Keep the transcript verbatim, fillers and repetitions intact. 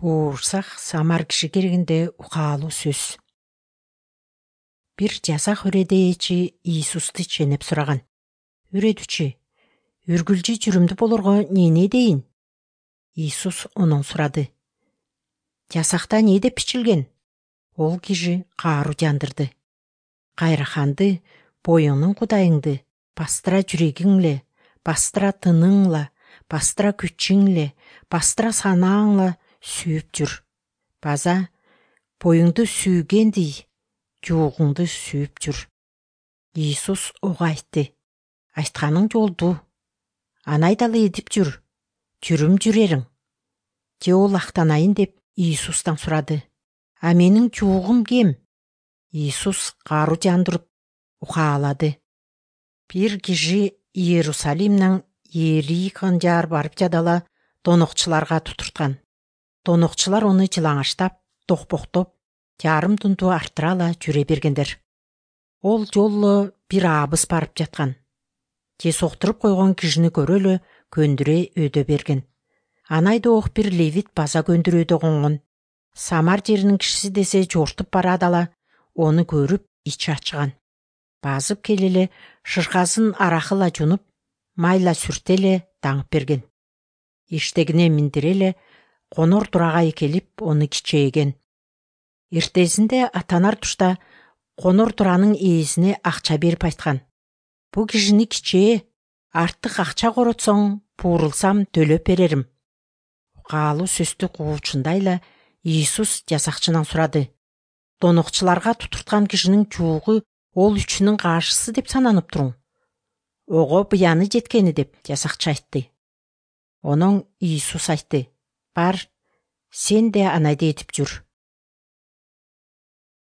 Буурсак самар киши керегинде укаалуу сөз. Бир жасак үредээчи Иисусту ченеп сураган. Үредүчү, үргүлжү жүрүмдүү болорго эмне дейин? Иисус онун сурады. Жасакта эмне деп бичилген? Ол киши кааруу жандырды. Кайраханды, боюңнун кудайыңды бастыра жүрөгүңле, бастыра тыныңла, бастыра күчүңле, бастыра санааңла сүйүп жүр. База боюңду сүйгендей жуугуңду сүйүп жүр. Иисус ого айтты. Айтканың жолду. Аны айдалы эдип жүр. Жүрүм жүрериң. Же ол актанайын деп Иисустан сурады. А менин жуугум кем? Иисус кааруу жандырып укаалады. Бир киши Иерусалимден Иерихон жаар барып жадала донокчуларга тутурткан. Донокчулар ону жылаңаштап, токпоктоп, жарым тунту арттырала жүрө бергендер. Ол жолу бир абыс барып жаткан. Же соктуруп койгон кишини көрөлү көндүрө өдө берген. Анайда ок бир левит база көндүрөөдө конгон. Самар жеринин кишиси десе жортуп барадала, ону көрүп ичи ачыган. Базып келеле шыркасын аракыла жунуп, майла сүртеле таңып берген. Иштегине миндиреле конор турагай келип ону кичээген. Эртесинде атанар тушта конор туранын ээсине акча берип айткан. Бу кишини кичээ, артык акча коротсоң, буурулсам төлөп берерим. Укаалуу сөздү куучундайла Иисус жасакчынан сурады. Донокчуларга тутурткан кишинин жуугу ол үчүнүн каашысы деп сананып туруң. Ого буяны жеткени деп жасакчы айтты. Онон Иисус айтты. Бар, сен де анайды этип жүр.